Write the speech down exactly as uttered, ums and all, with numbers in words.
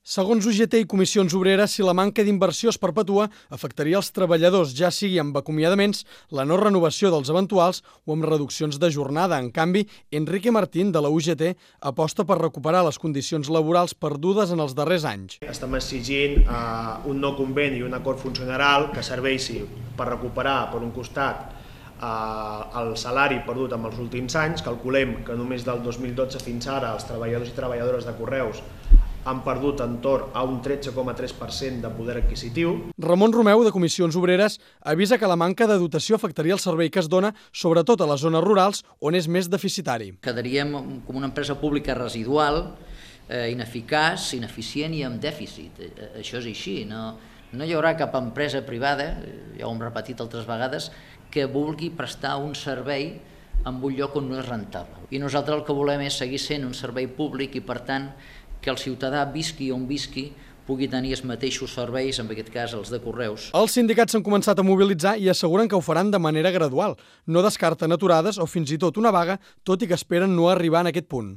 Segons U G T i Comissions Obreres, si la manca d'inversió es perpetua, afectaria els treballadors, ja sigui amb acomiadaments, la no renovació dels eventuals o amb reduccions de jornada. En canvi, Enrique Martín, de la U G T, aposta per recuperar les condicions laborals perdudes en els darrers anys. Estem exigint uh, un nou conveni i un acord funcional que serveixi per recuperar, per un costat, uh, el salari perdut en els últims anys. Calculem que només del dos mil dotze fins ara els treballadors i treballadores de Correus han perdut entorn a un tretze coma tres per cent de poder adquisitiu. Ramon Romeu, de Comissions Obreres, avisa que la manca de dotació afectaria el servei que es dona, sobretot a les zones rurals, on és més deficitari. Quedaríem com una empresa pública residual, eh, ineficaç, ineficient i amb dèficit. Això és així. No, no hi haurà cap empresa privada, ja ho hem repetit altres vegades, que vulgui prestar un servei en un lloc on no és rentable. I nosaltres el que volem és seguir sent un servei públic i, per tant, que el ciutadà visqui on visqui pugui tenir els mateixos serveis, en aquest cas els de Correus. Els sindicats s'han començat a mobilitzar i asseguren que ho faran de manera gradual. No descarten aturades o fins i tot una vaga, tot i que esperen no arribar en aquest punt.